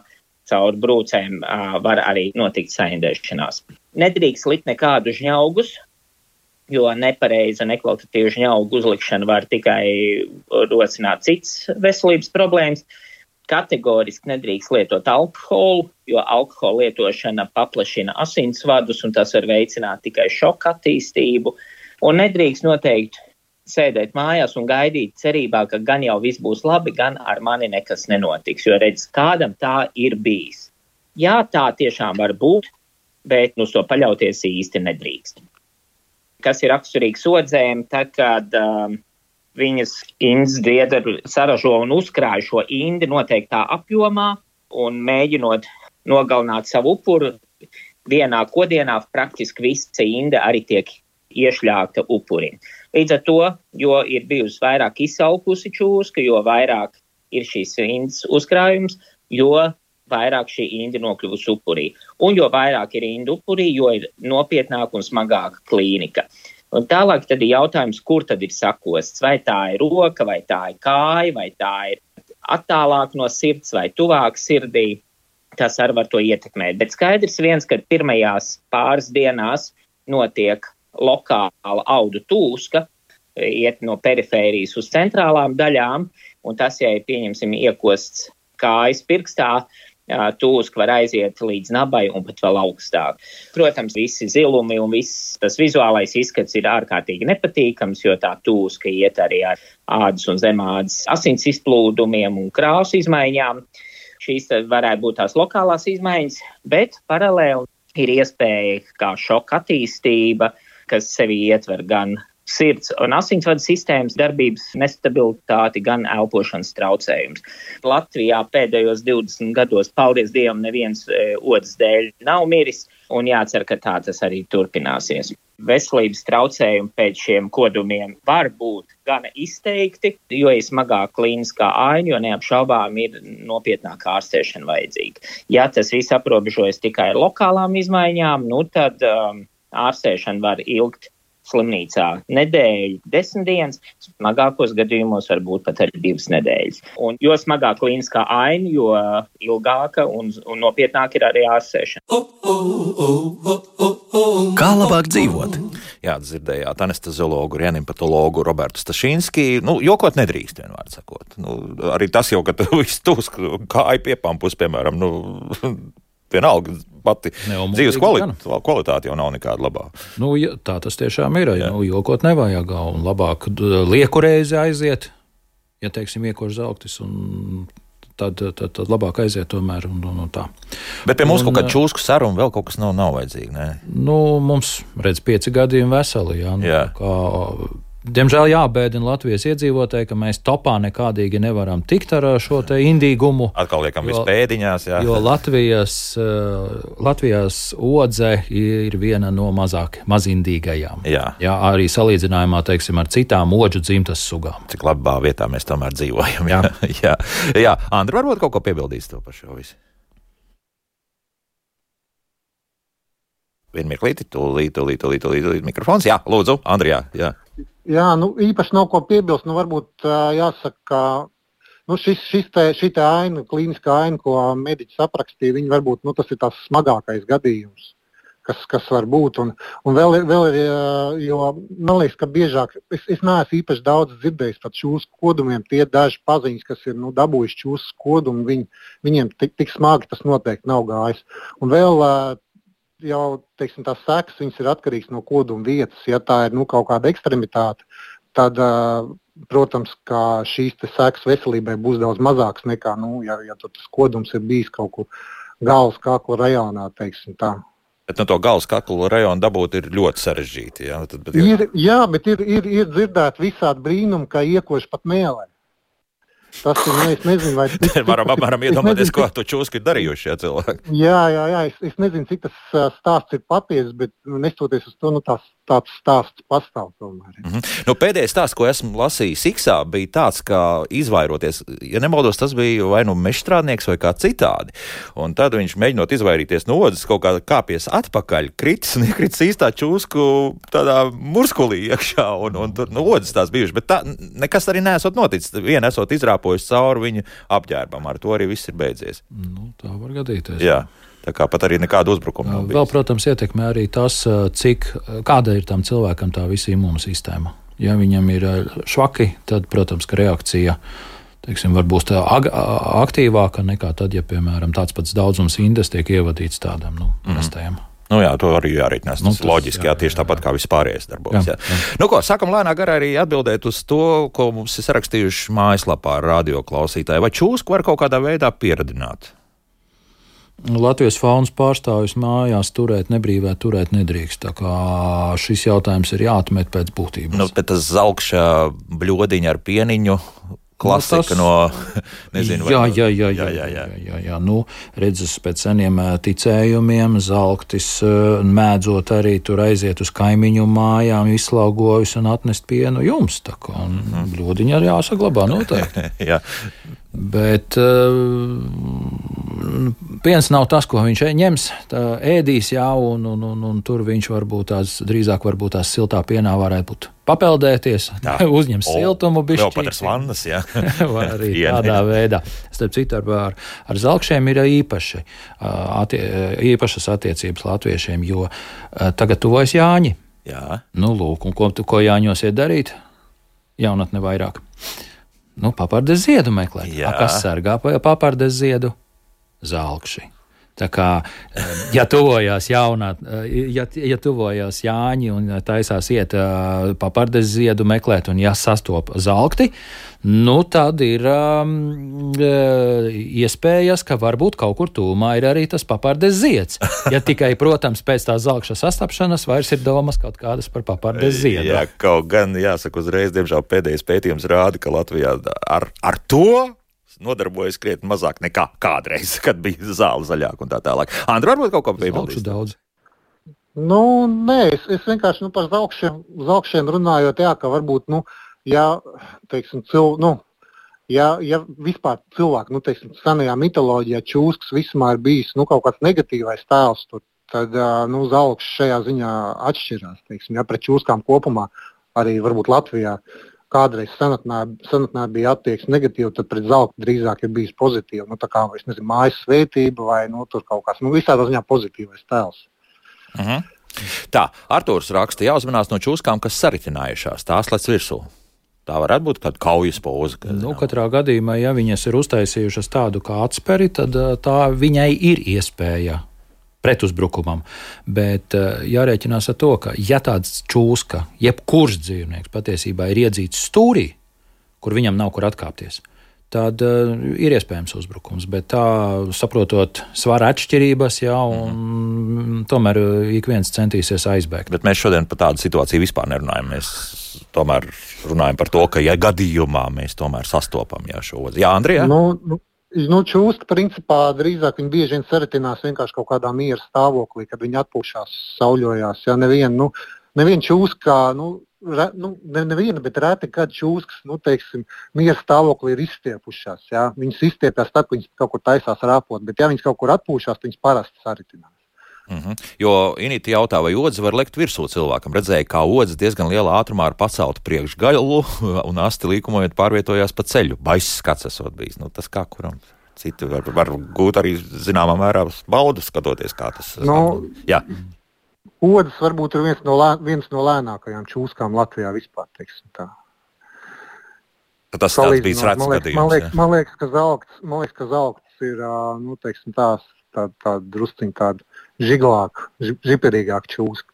caur brūcēm var arī notikt saindēšanās. Nedrīkst likt nekādu žņaugus, jo nepareiza nekvalitatīva žņaugu uzlikšana var tikai rosināt citas veselības problēmas. Kategoriski nedrīkst lietot alkoholu, jo alkohola lietošana paplašina asinsvadus un tas var veicināt tikai šoka attīstību. Un nedrīkst noteikti sēdēt mājās un gaidīt cerībā, ka gan jau viss būs labi, gan ar mani nekas nenotiks, jo redz, kādam tā ir bijis. Jā, tā tiešām var būt, bet uz to paļauties īsti nedrīkst. Kas ir raksturīgs odzēm, tad, kad viņas indes diederi saražo un uzkrāj šo indi noteiktā apjomā un mēģinot nogalināt savu upuru, vienā kodienā praktiski visa inde arī tiek iešļākta upurim. Līdz ar to, jo ir bijusi vairāk izsalkusi čūska, jo vairāk ir šīs indes uzkrājums, jo vairāk šī indi nokļuvusi upurī. Un jo vairāk ir indi upurī, jo ir nopietnāka un smagāka klīnika. Un tālāk tad ir jautājums, kur tad ir sakosts. Vai tā ir roka, vai tā ir kāja, vai tā ir attālāk no sirds, vai tuvāk sirdī. Tas arī var to ietekmēt. Bet skaidrs viens, ka pirmajās pāris dienās notiek lokāla audu tūska, iet no perifērijas uz centrālām daļām, un tas, ja pieņemsim iekosts kājas pirkstā, tūska var aiziet līdz nabai un pat vēl augstāk. Protams, visi zilumi un viss tas vizuālais izskats ir ārkārtīgi nepatīkams, jo tā tūska iet arī ar ādas un zemādas asins izplūdumiem un krāsu izmaiņām. Šīs varētu būt tās lokālās izmaiņas, bet paralēli ir iespēja kā šoka attīstība, kas sevi ietver gan sirds un asinsvadu sistēmas darbības nestabilitāti, gan elpošanas traucējums. Latvijā pēdējos 20 gados, paldies Dievam, neviens odas dēļ nav miris, un jācer, ka tā tas arī turpināsies. Veselības traucējumi pēc šiem kodumiem var būt gana izteikti, jo ir smagāka klīniskā aina, jo neapšaubām ir nopietnāka ārstēšana vajadzīga. Ja tas viss aprobežojas tikai ar lokālām izmaiņām, tad ārstēšana var ilgt slimnīcā nedēļu, 10 dienas, smagākos gadījumos varbūt pat arī 2 nedēļas. Un jo smagāk klīniskā aina, jo ilgāka un nopietnāk ir arī ārstēšana. Kā labāk dzīvot? Jā, dzirdējāt anesteziologu, reanimatologu Robertu Stašinski. Jokot nedrīkst, vienmēr sakot. Arī tas jau, ka tu viss tūs kāja piepampus, piemēram, vienalga pati dzīves kvalitāte jau nav nekāda labā. Tā tas tiešām ir. Jokot nevajag, un labāk lieku reizi aiziet, ja, teiksim, iekož zauktis, un tad labāk aiziet tomēr un tā. Bet pie mums kaut kāda čūsku saruna vēl kaut kas nav vajadzīgi, ne? Mums, 5 gadījumi veseli, jā. Diemžēl jābēdina Latvijas iedzīvotāji, ka mēs topā nekādīgi nevaram tikt ar šo te indīgumu. Atkal liekam viss pēdiņās, jā. Jo Latvijas odze ir viena no mazindīgajām. Jā. Jā, arī salīdzinājumā, teiksim, ar citām odžu dzimtas sugām. Cik labā vietā mēs tomēr dzīvojam. Jā. Jā. Andri, varbūt kaut ko piebildīs to par šo visu? Vienu mirklīti, tūlīt mikrofons. Jā, lūdzu, Andri, jā. Jā, īpaši nav ko piebilst. Varbūt jāsaka, ka šī aina, klīniskā aina, ko mediķis aprakstīja, viņa varbūt tas ir tās smagākais gadījums, kas var būt. Un vēl ir, jo man liekas, ka biežāk, es neesmu īpaši daudz dzirdējis par čūsku kodumiem, tie daži paziņas, kas ir dabūjuši čūsku kodumu, viņiem tik smagi tas noteikti nav gājis. Un vēl jau, teiksim, tās sekas, viņas ir atkarīgs no koduma vietas. Ja tā ir kaut kāda ekstremitāte, tad, protams, ka šīs sekas veselībai būs daudz mazākas nekā, ja tas kodums ir bijis kaut kur galvas kakla rajonā, teiksim tā. Bet to galvas kakla rajonu dabūt ir ļoti sarežģīti. Ja? Bet ir dzirdēt visādi brīnumi, kā iekoši pat mēlē. Tas ir, es nezinu, vai... Varam iedomāties, ko to čūsku ir darījuši šie cilvēki. Jā, es nezinu, cik tas stāsts ir patiesas, bet nestoties uz to, tāds stāsts pastāv tomēr. Pēdējais stāsts, ko esmu lasījis Iksā, bija tāds, ka izvairoties, ja nemaldos, tas bija vai mežstrādnieks vai kā citādi. Un tad viņš mēģinot izvairīties no odzes, kaut kā kāpies atpakaļ, kritis un iekritis īstā čūsku tādā murskulī iekšā, un tur odzes tās bijuši. Bet tā nekas arī neesot noticis. Viena esot izrāpojusi cauri viņa apģērbam, ar to arī viss ir beidzies. Tā var gadīties. Jā. Tā kā pat arī nekāda uzbrukuma nav bijis. Vēl, protams, ietekmē arī tas, kāda ir tam cilvēkam tā visa imūnsistēma. Ja viņam ir švaki, tad, protams, ka reakcija, teiksim, var būt aktīvāka nekā tad, ja, piemēram, tāds pats daudzums indes tiek ievadīts tādam, prastajam. To arī jārēķinās. Tas loģiski, tieši tāpat kā vispārējais darbojas. Jā. Sākam lēnā garā arī atbildēt uz to, ko mums ir sarakstījuši mājaslapā radio klausītāji. Vai čūsku var kaut kādā veidā pieradināt? Latvijas faunas pārstāvjus mājās nebrīvē turēt nedrīkst. Tā kā šis jautājums ir jāatmet pēc būtības. Bet tas zalkša bļodiņa ar pieniņu, klasika nezinu. Jā. Redzes pēc seniem ticējumiem, zalktis mēdzot arī tur aiziet uz kaimiņu mājām, izslaugojas un atnest pienu jums. Tā kā bļodiņa arī jāsaglabā noteikti. Jā. Bet piens nav tas, ko viņš ņems, ēdīs, un tur viņš drīzāk varbūt tās siltā pienā varētu būt papeldēties, uzņem siltumu bišķi. Vēl pat ar svannas, jā. Vai arī tādā veidā. Starp citu, ar zalkšiem ir īpašas attiecības latviešiem, jo tagad tuvojas Jāņi. Jā. Lūk, un ko Jāņos iet darīt? Jaunatne vairāk. Papardes ziedu meklēt. Kas sargā papardes ziedu? Zalkši. Tā kā, ja tuvojās Jāņi un taisās iet papardes ziedu meklēt un sastop zalkti, tad ir iespējas, ka varbūt kaut kur tūmā ir arī tas papardes zieds. Ja tikai, protams, pēc tā zalkša sastapšanas vairs ir domas kaut kādas par papardes ziedu. Jā, kaut gan jāsaka uzreiz, diemžēl pēdējais pētījums rāda, ka Latvijā ar to nodarbojas krietni mazāk nekā kādreiz, kad bija zāle zaļāka un tā tālāk. Andri, varbūt kaut ko piebildīs? Daudz. Nē, es vienkārši par zalkšiem runājot, ka varbūt, teiksim, ja vispār cilvēki, teiksim, senajā mitoloģijā čūskas vismā ir bijis, kaut kāds negatīvais tēls tur tad zalks šajā ziņā atšķirās. Teiksim, ja pret čūskām kopumā, arī varbūt Latvijā kādreiz senatnē bija attieksme negatīva, tad pret zalku drīzāk ir bijis pozitīva. Tā kā, es nezinu, mājas svētība vai tur kaut kāds, visādā ziņā pozitīvais tēls. Tā, Artūrs raksta, jāuzmanās no čūskām, kas saritinājušās, tās lec virsū. Tā varētu būt kāda kaujas poza. Katrā gadījumā, ja viņas ir uztaisījušas tādu kā atsperi, tad tā viņai ir iespēja pretuzbrukumam. Bet jārēķinās ar to, ka ja tāds čūska, jebkurš dzīvnieks patiesībā ir iedzīts stūrī, kur viņam nav kur atkāpties, tad ir iespējams uzbrukums. Bet tā, saprotot svara atšķirības, un tomēr ik viens centīsies aizbēgt. Bet mēs šodien par tādu situāciju vispār nerunājam. Mēs tomēr runājam par to, ka ja gadījumā mēs tomēr sastopam šo odzi. Jā, Andrija? Čūska principā drīzāk viņi bieži vien saritinās vienkārši kaut kādā miera stāvoklī, kad viņi atpūšās, sauļojās. Ja, neviena čūska, neviena, bet reti, kad čūskas, miera stāvoklī ir izstiepušās. Ja. Viņas izstiepjas tad, kad viņas kaut kur taisās rāpot, bet ja viņas kaut kur atpūšās, viņas parasti saritinās. Jo Inīti jautā, vai odzi var lekt virsū cilvēkam. Redzēja, kā odzi diezgan lielā ātrumā ar paceltu priekšgaļu un asti līkumojot pārvietojās pa ceļu. Baiss skats esot bijis. Tas kā kuram citi var gūt arī zināmā mērā baudu skatoties, kā tas. Jā. Odzis varbūt ir viens no lēnākajām čūskām Latvijā vispār, teiksim tā. Tas tāds bijis rets gadījums. Man liekas, ka zalkts ir, tāda drusciņa tāda žiglāka, žiperīgāka čūska.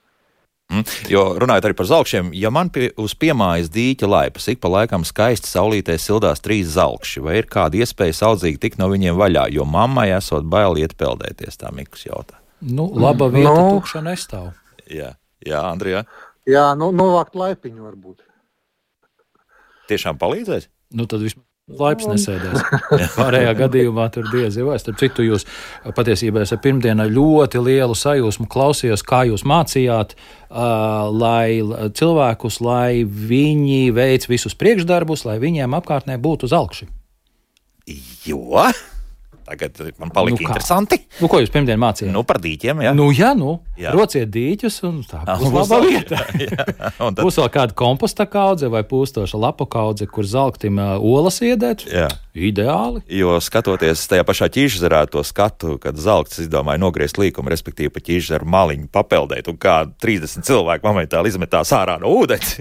Jo runājot arī par zalkšiem, ja man uz piemājas dīķa laipas ik pa laikam skaisti saulītē sildās 3 zalkši, vai ir kāda iespēja saudzīgi tikt no viņiem vaļā, jo mammai esot bail iet peldēties, tā Mikus jautā. Laba vieta tukša nestāv. Jā, Andrija? Jā, novākt laipiņu varbūt. Tiešām palīdzēs? Tad vismaz laips nesēdēs. Pārējā gadījumā tur diezi vai. Starp citu, jūs patiesībā esat pirmdienā ļoti lielu sajūsmu klausījos, kā jūs mācījāt lai viņi veic visus priekšdarbus, lai viņiem apkārtnē būtu zalkši. Jo? Tagad man palika interesanti. Ko jūs pirmdien mācījāt? Par dīķiem, jā. Jā. Rociet dīķus un tā būs laba vieta. Tad... Būs vēl kāda komposta kaudze vai pūstoša lapu kaudze, kur zalktim olas iedēt. Jā. Ideāli. Jo skatoties tajā pašā Ķīžzerā to skatu, kad zalkts izdomāja nogriezt līkumu, respektīvi pa Ķīžzeru maliņu papeldēt, un kā 30 cilvēki momentāli izmetās ārā no ūdens.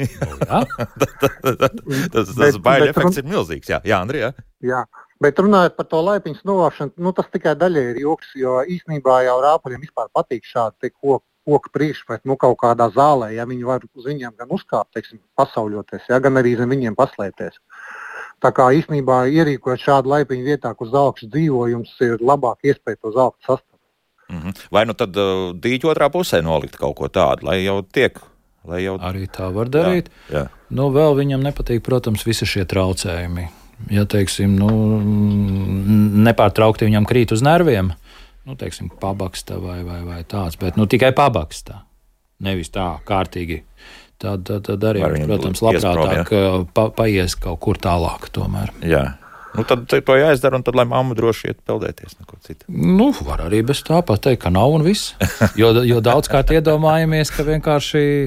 Tas baiļu efekts ir milzīgs. Jā, Andrija? Jā. Bet runājot par to laipiņas novākšanu, tas tikai daļai ir joks, jo īstenībā jau rāpuļiem vispār patīk šādi koku priekšpēc, kaut kādā zālē, ja viņi var uz viņiem gan uzkāpt, pasauļoties, ja, gan arī zem viņiem paslēpties. Tā kā īstenībā ierīkojot šādu laipiņu vietā, kur zalkšs dzīvo, jums ir labāk iespēja to zalku sastapt. Vai tad dīķu otrā pusē nolikt kaut ko tādu, lai jau tiek? Arī tā var darīt. Jā. Vēl viņam nepatīk, protams, visi šie traucējumi. Ja, nepārtraukti viņam krīt uz nerviem, pabaksta vai tāds, bet tikai pabaksta, nevis tā kārtīgi. Tad arī, protams, labprātāk paies kaut kur tālāk tomēr. Jā. Tad to jāizdara, un tad, lai mamma droši iet peldēties, neko citu. Var arī bez tā pateikt, ka nav un viss. Jo daudzkārt iedomājamies, ka vienkārši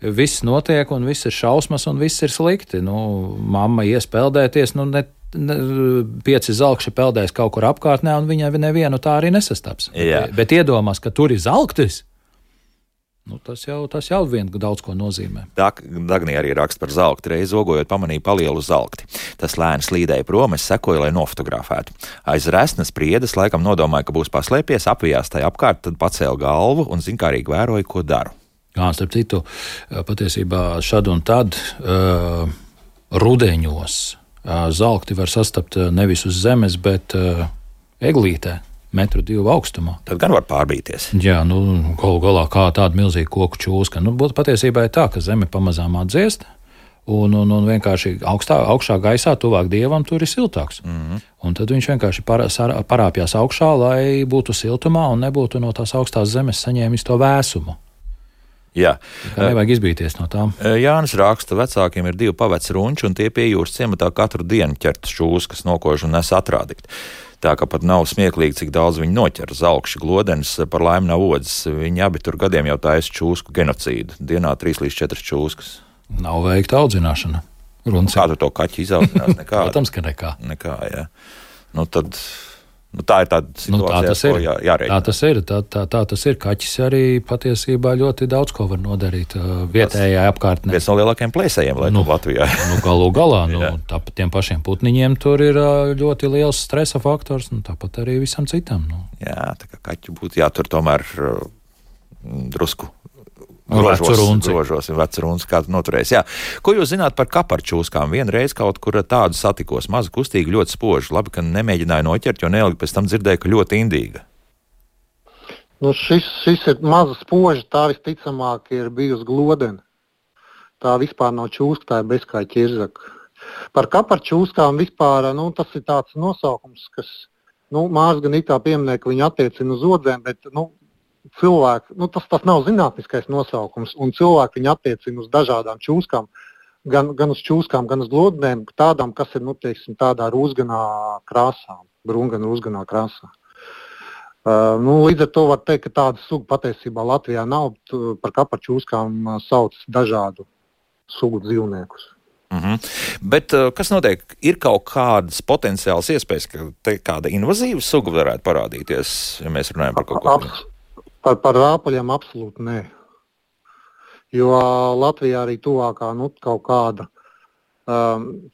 viss notiek, un viss ir šausmas, un viss ir slikti. Mamma ies peldēties, 5 zalkši peldēs kaut kur apkārtnē, un viņa nevienu tā arī nesastaps. Jā. Bet iedomās, ka tur ir zalktis, tas jau vien daudz ko nozīmē. Dagnija arī raksta par zalkti. Reiz zogojot pamanīja palielu zalkti. Tas lēni slīdēja prom, es sekoju, lai nofotografētu. Aiz resnes priedes laikam nodomāja, ka būs paslēpies, apvijās tai apkārt, tad pacēla galvu un zinkārīgi vēroja, ko daru. Starp citu, patiesībā šad un tad rudeņos zalkti var sastapt nevis uz zemes, bet eglītē, 1,2 m augstumā. Tad gan var pārbīties. Jā, galu galā kā tāda milzīga koku čūska. Būtu patiesībā tā, ka zeme pamazām atdziest, un vienkārši augšā gaisā, tuvāk dievam, tur ir siltāks. Un tad viņš vienkārši parāpjās augšā, lai būtu siltumā un nebūtu no tās augstās zemes saņēmis to vēsumu. Jā. Nevajag izbīties no tām. Jānis raksta, vecākiem ir 2 paveci runči, un tie pie jūras ciematā katru dienu ķertas čūskas, nokož un nes atrādikt. Tā kā pat nav smieklīgi, cik daudz viņi noķer. Zalkši, glodens, par laimi nav odzes. Viņi abi tur gadiem jau taisa čūsku genocīdu. Dienā 3 līdz 4 čūskas. Nav veikta audzināšana. Kā tu to kaķi izaudzinās? Nekā. Protams, ka nekā. Nekā, jā. Nu tad... Nu, tā ir tāda situācija, jārēķina. Tā tas ir. Kaķis arī patiesībā ļoti daudz ko var nodarīt vietējā apkārtnē. Viens no lielākajiem plēsējiem, Latvijā. Galu galā, tāpat tiem pašiem putniņiem tur ir ļoti liels stresa faktors, tāpat arī visam citam. Jā, tā kā kaķi būtu jātur tomēr drusku. Grožosim vecruns, kādu noturēs. Jā. Ko jūs zināt par kaparčūskām? Vienreiz kaut kur tādu satikos, maza kustīga, ļoti spoža. Labi, ka nemēģināju noķert, jo neilgi pēc tam dzirdēju, ka ļoti indīga. Nu, šis ir maza spoža, tā visticamāk ir bijusi glodena. Tā vispār nav čūska, tā ir bezkāja ķirzaka. Par kaparčūskām vispār, tas ir tāds nosaukums, kas, mārs gan it kā pieminē, ka viņi attiecina uz odzēm, bet, cilvēki, tas nav zinātniskais nosaukums, un cilvēki viņu attiecina uz dažādām čūskām, gan uz čūskām, gan uz glodnēm, tādām, kas ir, tādā rūsganā krāsā, brūngana rūsganā krāsā. Līdz ar to var teikt, ka tāda suga patiesībā Latvijā nav, par kaparčūskām sauc dažādu sugu dzīvniekus. Bet kas notiek? Ir kaut kādas potenciāls iespējas, ka te kāda invazīva suga varētu parādīties, ja mēs runājam par kaut ko? Par rāpuļiem absolūti nē. Jo Latvijā arī tuvākā kaut kāda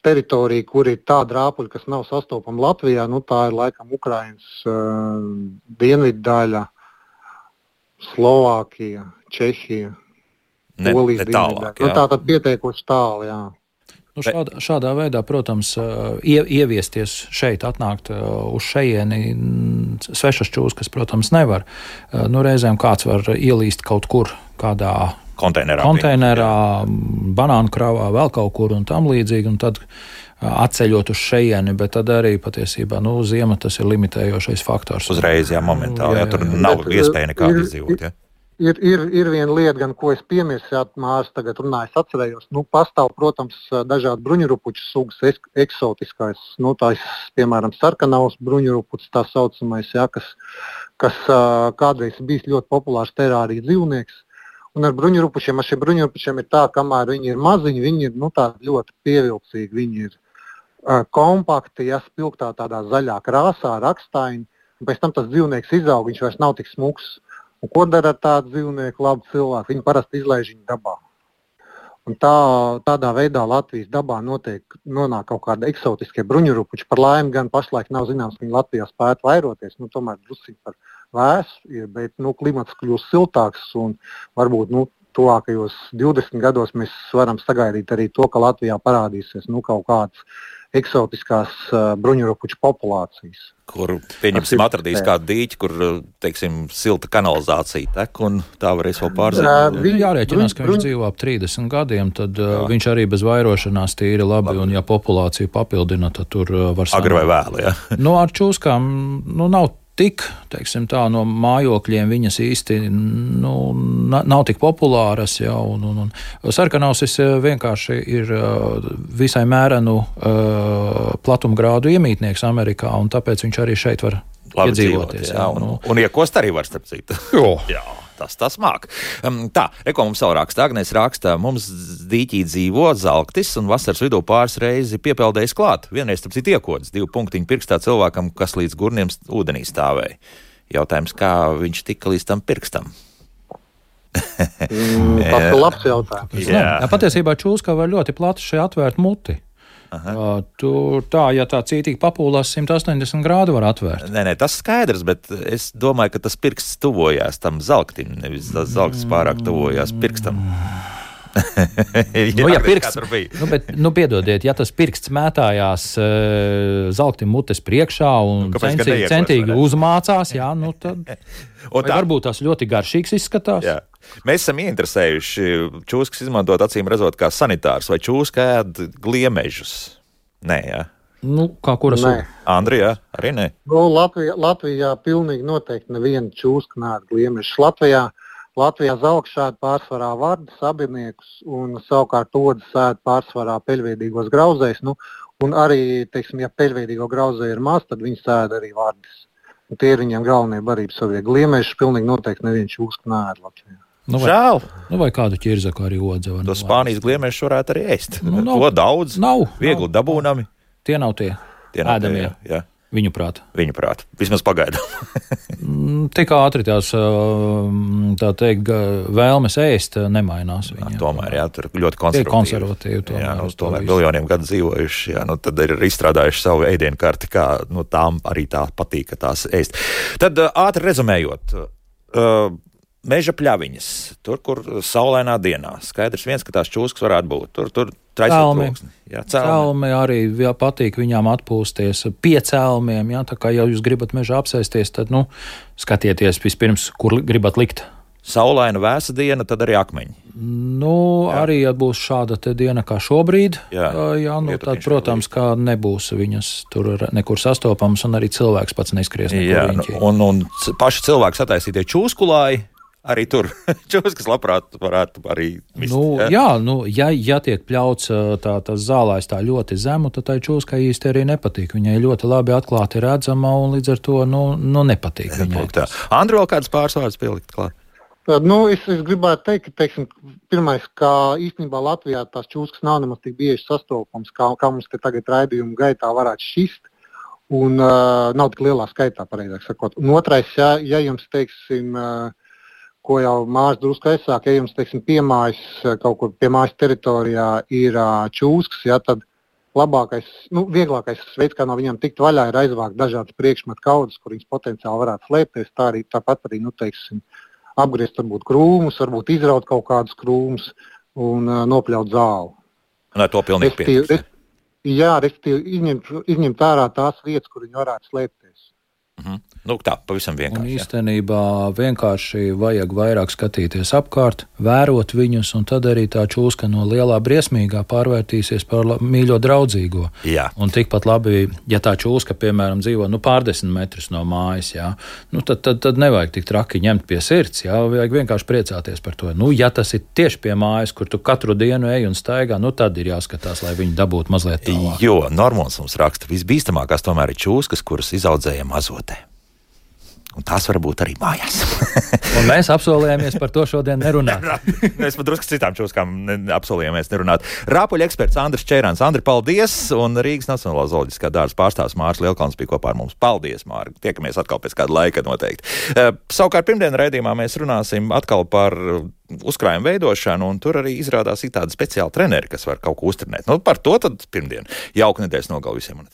teritorija, kur ir tāda rāpuļa, kas nav sastopama Latvijā, tā ir laikam Ukrainas dienvidu daļa, Slovākija, Čehija, Polijas dienvidu daļa. Tātad pietiekoši tālu, jā. Šādā veidā, protams, ieviesties šeit, atnākt uz šejieni svešas čūskas, protams, nevar. Reizēm kāds var ielīst kaut kur, kādā konteinerā, banānu kravā, vēl kaut kur un tam līdzīgi, un tad atceļot uz šejieni, bet tad arī patiesībā, ziema tas ir limitējošais faktors. Uzreiz, momentāli, tur nav iespēja nekāda izdzīvot, Ir viena lieta, gan ko es piemirsu, Mārs tagad runāju, es atcerējos. Pastāv, protams, dažādi bruņurupuču sugas, eksotiskais, tās, piemēram, sarkanavs bruņurupucis, tā saucamais, kas kādreiz bijis ļoti populārs terārija dzīvnieks. Un ar šiem bruņurupučiem ir tā, kamēr viņi ir maziņi, viņi ir tādi ļoti pievilcīgi, viņi ir kompakti, spilgtā tādā zaļā krāsā, rakstaini, un pēc tam tas dzīvnieks izaug, viņš vairs nav tik smuks. Un ko dara ar tādu dzīvnieku labu cilvēku? Viņi parasti izlaiž viņu dabā. Un tādā veidā Latvijas dabā nonāk kaut kāda eksotiskie bruņurupuči. Par laimi gan pašlaik nav zināms, ka viņi Latvijā spētu vairoties. Tomēr drusīgi par vēsu, bet klimats kļūst siltāks un varbūt tuvākajos 20 gados mēs varam sagaidīt arī to, ka Latvijā parādīsies kaut kādas eksotiskās bruņurupuču populācijas. Kur, pieņemsim, atradīs kādu dīķi, kur, silta kanalizācija tek, un tā varēs vēl pārzināt. Jārēķinās, ka viņš dzīvo ap 30 gadiem, tad viņš arī bez vairošanās tīri labi, un ja populācija papildina, tad tur var sanākt. Agri vai vēlu, jā? Ar čūskām, nav tik, no mājokļiem viņas īsti nav tik populāras, un sarkanausis vienkārši ir visai mērenu platumgrādu iemītnieks Amerikā, un tāpēc viņš arī šeit var iedzīvoties. Un iekost arī var, starp citu. Jā. Tas māk. Reko mums savu raksta. Agnēs raksta, mums dīķī dzīvo zalktis un vasaras vidū pāris reizi piepeldējis klāt. Vienreiz, starp citu, iekods 2 punktiņu pirkstā cilvēkam, kas līdz gurniem ūdenī stāvēja. Jautājums, kā viņš tika līdz tam pirkstam? Tas ir labs jautājums. Patiesībā čūska var ļoti plati šeit atvērt muti. Tur ja tā cītīgi papūlās 180 grādu var atvērt. Nē, tas skaidrs, bet es domāju, ka tas pirksts tuvojās tam zalktim, nevis tas zalktis pārāk tuvojās pirkstam. Piedodiet, ja tas pirksts mētājās zalktim mutes priekšā un centīgi uzmācās, tad varbūt tas ļoti garšīgs izskatās. Jā. Mēs esam ieinteresējuši čūskas izmantot acīm redzot kā sanitārs, vai čūska ēd gliemežus? Nē, jā. Kā kura suga? Andrijā, arī nē? Latvijā pilnīgi noteikti neviena čūska neēd gliemežus. Latvijā zalkšā ēd pārsvarā vardu sabiniekus un savukārt odas ēd pārsvarā peļveidīgos grauzējus. Un arī, teiksim, ja peļveidīgo grauzēju ir maz, tad viņi sēda arī vārdis. Un tie ir viņiem galvenie barības savie gliemeši, pilnīgi noteikti neviens čūsku nēd Latvijā. Nu, Žēl. Vai kādu ķirzaku arī odze. To Spānijas gliemešus varētu arī ēst. Nav, to daudz, viegli dabūnami. Tie nav tie ēdamie, jā. Viņu prāt. Vismaz pagaidām. Tik ātri tās, tā teikt, vēlmes ēst nemainās. Tomēr, jā, tur ļoti konservatīvi. Jā, tomēr miljoniem gadu dzīvojuši, jā, tad ir izstrādājuši savu ēdienu karti, kā tām arī tā patīk, ka tās ēst. Tad ātri rezumējot, meža pļaviņas, tur, kur saulainā dienā. Skaidrs viens, ka tās čūskas varētu būt. Tur traisot troksni. Celmi arī patīk viņām atpūsties pie celmiem. Jā, tā kā jau jūs gribat mežā apsēsties, tad, skatieties vispirms, kur gribat likt. Saulaina vēsa diena, tad arī akmeņi. Arī, ja būs šāda te diena kā šobrīd, tad, protams, kā nebūs viņas tur nekur sastopamas, un arī cilvēks pats neskries nekur riņķī. Un paši cilvēki sataisītie čūskulāji, arī tur čūskas labprāt varētu arī mist. Ja tiek pļauts tas zālājs tā ļoti zemu, tad tai čūskai īsti arī nepatīk. Viņai ļoti labi atklāti redzama, un līdz ar to, nepatīk viņai. Andri, vēl kāds pārsvārds pielikt klāt? Es gribētu teikt, ka, teiksim, pirmais, kā īstenībā Latvijā tās čūskas nav nemaz tik bieži sastopams, kā mums te tagad raidījumu gaitā varētu šist, un nav tik lielā skaitā, pareizāk sakot. Un otrais, ja jums, teiksim, ko jau mājas drusku aizsāk, ja jums, teiksim, piemājas kaut kur pie mājas teritorijā ir čūskas, tad labākais, vieglākais veids, kā no viņiem tikt vaļā, ir aizvākt dažādas priekšmetu kaudzes, kur viņas potenciāli varētu slēpties, tāpat arī, teiksim, apgriezt varbūt krūmus, varbūt izraut kaut kādus krūmus un nopļaut zāli. Nē, to pilnīgi pietiks. Jā, respektīvi izņemt ārā tās vietas, kur viņi varētu slēpties. Tā, pavisam vienkārši. Un īstenībā vienkārši vajag vairāk skatīties apkārt, vērot viņus, un tad arī tā čūska no lielā briesmīgā pārvērtīsies par mīļo draudzīgo. Jā. Un tikpat labi, ja tā čūska, piemēram, dzīvo pārdesmit metrus no mājas, tad nevajag tik traki ņemt pie sirds, vajag vienkārši priecāties par to. Ja tas ir tieši pie mājas, kur tu katru dienu ej un staigā, tad ir jāskatās, lai viņi dabūtu mazliet tālāk. Jo Normons mums raksta, visbīstamākās tomēr ir čūskas, kuras izaudzēja mazotē. Un tās var būt arī mājās. Un mēs apsolījāmies par to šodien nerunāt. Mēs par drusku citām čūskām apsolījāmies nerunāt. Rāpuļu eksperts Andris Čērāns. Andri, paldies! Un Rīgas Nacionālā zooloģiskā dārza pārstāvs Māris Lielkalns bija kopā ar mums. Paldies, Māri! Tiekamies atkal pēc kāda laika noteikti. Savukārt pirmdien raidījumā mēs runāsim atkal par uzkrājumu veidošanu, un tur arī izrādās ir tādi speciāli treneri, kas var kaut ko uztrenēt. Par to tad pirmdien. Jauka nedēļas nogalu visiem.